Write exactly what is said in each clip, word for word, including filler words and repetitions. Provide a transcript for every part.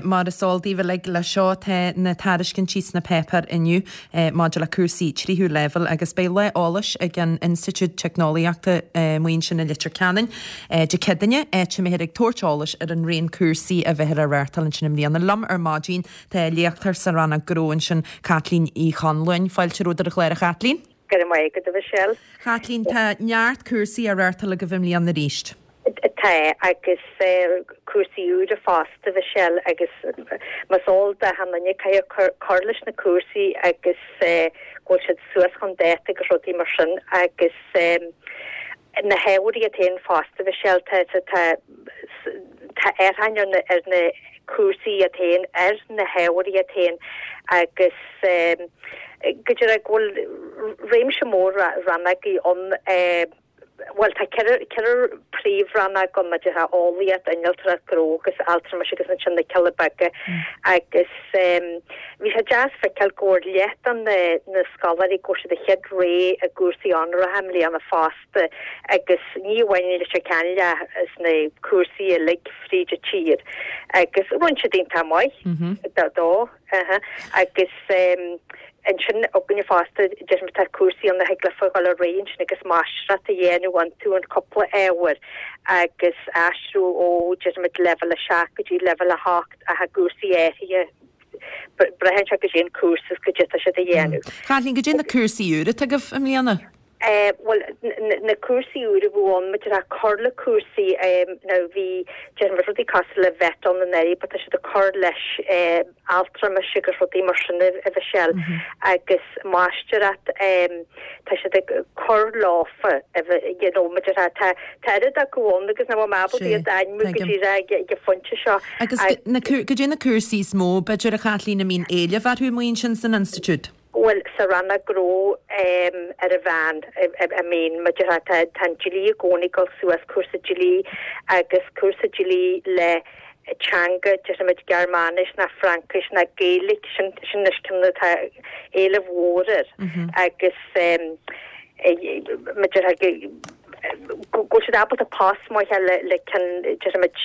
Mar is eol daoibh uilig leis seo tá na tairiscintí sna páipéir inniu maidir le cúrsaí tríú leibhéal agus beidh lá eolais ag an Institiúid Teicneolaíochta amuigh ansin i Leitir Ceanainn Dé Céadaoine, áit a mbeifear ag tabhairt eolais ar an raon cúrsaí a bheifear á reáchtáil ansin i mbliana. Liom ar maidin tá léachtóir sa rannóg gnó ansin, Caitlín Uí Chonluain. Fáilte romhat ar an chlár, a Chaitlín. Go raibh maith agat, a Mhichelle. Chaitlín, tá neart cúrsaí á reáchtáil agaibh i mbliana arís. Tá, agus cúrsaí úra fosta, a Mhichelle, agus más eol d'achan duine caithfidh cur leis na cúrsaí agus go bhfuil siad suas chun dáta agus rudaí mar sin agus na hábhair iad féin fosta, a Mhichelle, tá tá tá athraithe ar na ar na cúrsaí iad féin, ar na hábhair iad féin agus go deimhin go bhfuil réimse mór rannógaí ann. Bhuel, tá ceithre, ceithre príomhrannóg ann, maidir le eolaíocht, innealtóireacht, gnó agus altramais agus ansin na cealla beaga agus bhí sé deas feiceáil go bhfuair leath de na, na scoláirí, go bhfuair siad a chéad rogha i gcúrsaí onóracha i mbliana fosta agus ní amháin i Leitir Ceanainn ach sna cúrsaí uilig fríd an tír agus rinne siad iontach maith dó agus Ansin againne fosta, déarfainn tá cúrsaí ann a thig leofa dhul ar aghaidh ansin agus máistreacht a dhéanamh iontu in cúpla ábhar agus aistriú ó, déarfaimid, leibhéal a seacht go dtí leibhéal a hocht ach i gcúrsaí áirithe, braitheann sé goidé an cúrsa is goidé atá siad a dhéanamh. Caitlín, goidé na cúrsaí úra atá agaibh i mbliana? Bhuel, na cúrsaí úra a bhí ann, maidir le cur le cúrsaí, now bhí, déarfaimid, rudaí cosúil le VET ann anuraidh but tá siad ag cur leis altramais agus rudaí mar sin, a Mhichelle, agus máistreacht, tá siad ag cur leofa, you know, maidir le, tá, tá oiread acu ann agus nach bhfuil mé ábalta iad a ainmiú go díreach ag an phointe seo. Agus goidé na cúrsaí is mó, b'fhéidir, a Chaitlín, a mbíonn éileamh orthu amuigh ansin san institiúid? Bhuel, sa rannóg gnó ar an mheán, I mean, maidir le, tá an dlí i gcónaí ag dul suas, cúrsa dlí agus cúrsa dlí le teanga, déarfaimid Gearmáinis ná Fraincis ná Gaeilge, sin sin anois ceann atá éileamh mhór air agus maidir le go bhfuil siad ábalta post maith a fháil le ceann, déarfaimid,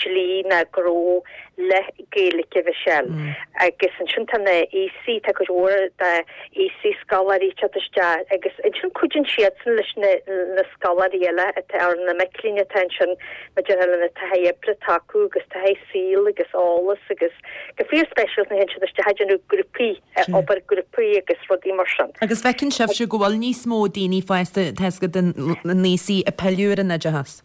dlí ná gnó le Gaeilge, a Mhichelle. Agus ansin tá na aosaigh, tá cuid mhór de aosaigh scoláirí ag teacht isteach agus ansin cuidíonn siadsan leis na na scoláirí eile atá, ar na mic léinn atá ansin maidir le na taithí oibre atá acu agus taithí saoil agus eolas agus go fíor speisialta nuair a théann siad isteach ag déanamh grúpaí, obair grúpaí agus rudaí mar sin. Agus feiceann sibhse go bhfuil níos mó daoine fásta, tá a fhios agat, na haosaigh ag pilleadh ar an oideachas?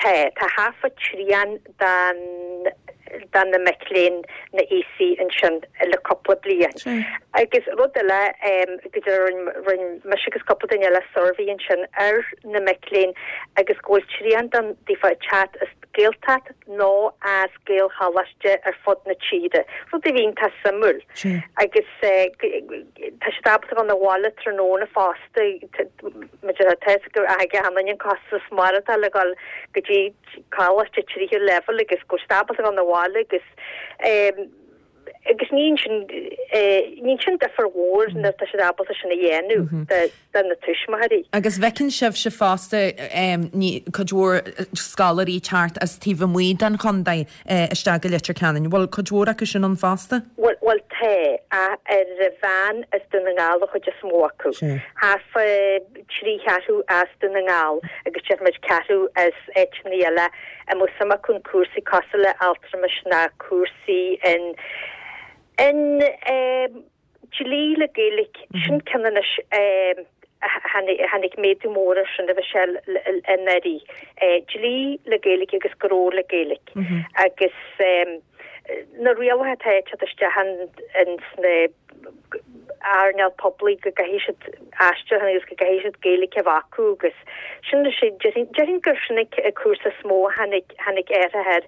Tá, tá thart fá trian den de na mic léinn na aosaigh ansin le cúpla bliain. Agus rud eile, go deimhin rinne mise agus cúpla duine eile suirbhé ansin ar na mic léinn agus go bhfuil trian den daofa ag teacht as Gaeltacht nó as Gaelcholáiste ar fud na tíre, rud a bhí iontach suimiúil. Agus tá siad ábalta dhul 'na bhaile tráthnóna fosta, maidir le tá a fhios ag achan duine an costas maireachtála le dhul go dtí coláiste tríú leibhéal agus go bhfuil siad ábalta dhul 'na bhaile agus agus ní sin ní sin difear mhór nuair atá siad ábalta sin a dhéanamh do na tuismitheoirí. Agus bhfeiceann sibhse fosta cuid mhór scoláirí teacht as taobh amuigh den chontae isteach go Leitir Ceanainn. Bhfuil cuid mhór acu sin ann fosta? Bhuel, bhuel tá, ach ar an mheán as Dún na nGall an chuid is mó acu. Thart fá trí cheathrú as Dún na nGall agus déarfaimid ceathrú as áiteanna eile a mbeadh suim acu in cúrsaí cosúil le altramais ná cúrsaí in in dlí le Gaeilge. Sin ceann anois a tháinig méadú mór air sin a Mhichelle anuraidh. Dlí le Gaeilge agus gnó le Gaeilge. Agus na rialacha atá ag teacht isteach in sna earnáil poiblí go gcaithfidh siad aistriúchán agus go gcaithfidh siad Gaeilge a bheith acu agus sin déarfainn gur sin an cúrsa is mó a tháinig tháinig athraithe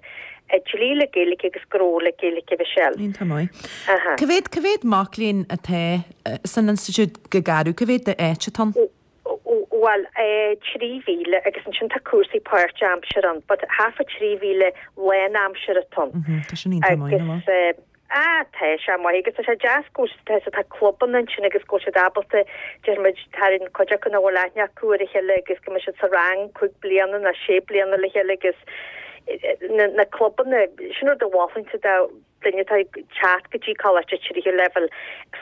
air, dlí le Gaeilge agus gnó le Gaeilge a Mhichelle. Iontach maith. Cá mhéad cá mhéad mac léinn atá san institiúid go garbh, cá mhéad d'áit atá ann? Bhuel, trí mhíle agus ansin tá cúrsaí páirt-aimsire ann but thart fá trí mhíle lán-aimsire atá ann. Tá sin iontach maith, nach bhfuil? Agus ah tá sé maith agus tá sé deas go bhfuil tá tá clubanna ansin agus go bhfuil siad ábalta déarfaimid tá an cuid acu nach bhfuil aithne acu ar a chéile agus go mbeidh siad sa rang cúig bliana nó sé bliana le chéile agus na, na clubanna, sin rud a mholfainnse do duine atá ag teacht go dtí coláiste tríú leibhéal,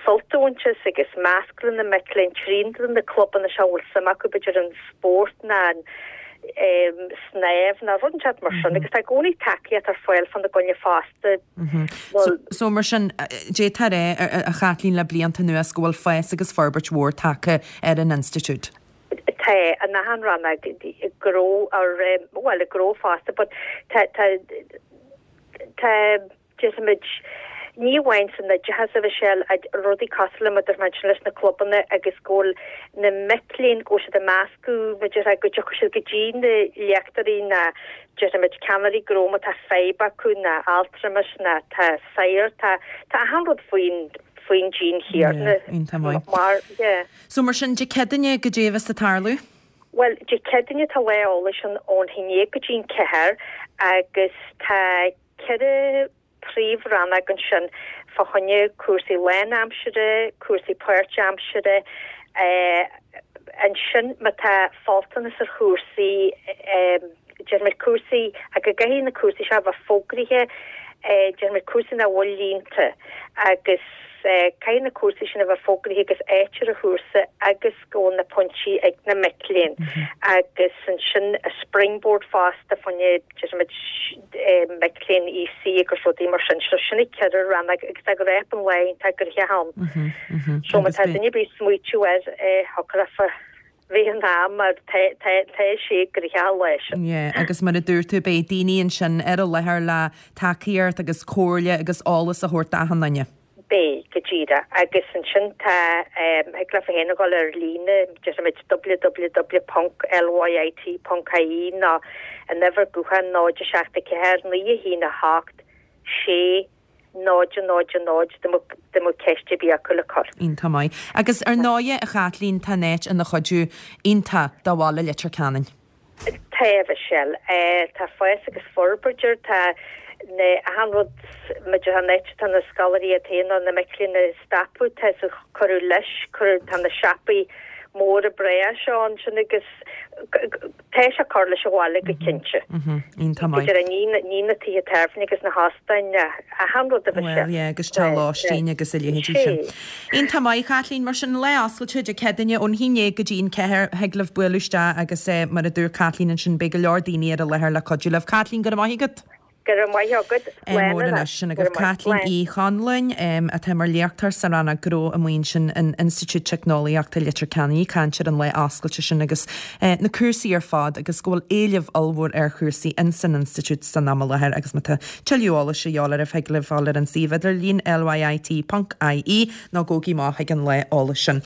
sult a bhaint as agus meascadh le na mic léinn trí na clubanna seo a bhfuil suim acu b'fhéidir an spórt ná an snámh ná rud inteacht mar sin agus tá i gcónaí tacaíocht ar fáil fána gcoinne fosta. So, so mar sin, d'fhéadfá a rá, a Chaitlín, le blianta anuas go bhfuil fás agus forbairt mhór tagtha ar an institiúid. Tá, in achan rannóg, gnó ar, bhuel, i gnó fosta, but tá, tá, tá, déarfaimid, ní amháin san oideachas a Mhichelle, rudaí cosúil le mar a dúirt mé ansin leis na clubanna agus go bhfuil na mic léinn, go bhfuil siad ag meascadh, mar a déarfá, go dtiocfaidh siad go dtí na léachtóirí ná déarfaimid ceannairí gnó má tá fadhb acu ná altramas ná tá saor, tá, tá achan rud faoin, faoin díon chéanna. Yeah, iontach maith. Mar, yeah. So mar sin, Dé Céadaoine goidé a bheas ag tarlú? Bhuel, Dé Céadaoine tá lá eolais ann ón haon déag go dtí an ceathair agus tá ceithre príomh-rannóg ansin fá choinne cúrsaí lánaimsire, cúrsaí páirtaimsire, ansin má tá faltanas ar chúrsaí, déarfaimid cúrsaí, ach go gcaithfidh na cúrsaí seo a bheith fógraithe, déarfaimid cúrsaí nach bhfuil líonta agus caithfidh na cúrsaí sin a bheith fógraithe agus áit ar an chúrsa agus go bhfuil na pointí ag na mic léinn agus ansin springboard fosta fá choinne déarfaimid mic léinn EC agus rudaí mar sin. So sin na ceithre rannóg agus tá go raibh an lá iontach gnoitheach ann. So má tá duine ar bith ag smaoitiú air thiocfadh leofa bheith in am mar tá sé gnoitheach an lá sin. Yeah, agus mar a dúirt tú beidh daoine ansin ar an láthair le tacaíocht agus comhairle agus eolas a thabhairt d'achan duine. Beidh, go díreach. Agus ansin tá, thig leofa féin a dhul ar líne, déarfaimid www ponc lyit ponc ie nó an uimhir gutháin náid a seacht a ceathair naoi a haon a hocht sé náid a náid a náid dá mbeadh ceist ar bith acu le cur. Iontach maith. Agus ar ndóighe, a Chaitlín, tá an áit ina chuidiú iontach do bhaile Leitir Ceanainn. Tá, a Mhichelle. Tá fás agus forbairt air, tá na, achan rud, maidir an áit atá na scoláirí iad féin nó na mic léinn ag stopadh, tá sé cuireadh leis, cuireadh, tá na siopaí móra breá seo ansin agus tá sé ag cur leis an bhaile go cinnte. Iontach maith. Idir ní, ní na tithe tábhairne agus na hóstáin, achan rud a Mhichelle. Bhuel, yeah, agus teach lóistín agus a leithéidí sin. Iontach maith, Chaitlín, mar sin, lá oscailte Dé Céadaoine ón haon déag go dtí an ceathair, thig libh bualadh isteach agus mar a dúirt Caitlín ansin, beidh go leor daoine ar an láthair le cuidiú libh. Caitlín, go raibh maith agat. Go raibh maith agat. Slán mór anois. Sin agaibh Caitlín Uí Chonluain, atá mar léachtóir sa rannóg gnó amuigh ansin in Institiúid Teicneolaíochta Leitir Ceanainn, ag caint ar an lá oscailte sin agus na cúrsaí ar fad agus go bhfuil éileamh ollmhór ar chúrsaí ins an institiúid san am i láthair agus má tá tuilleadh eolais a dhíobháil oraibh thig libh fáil ar an suíomh idirlín lyit ponc ie nó gabhaigí amach chuig an lá eolais sin.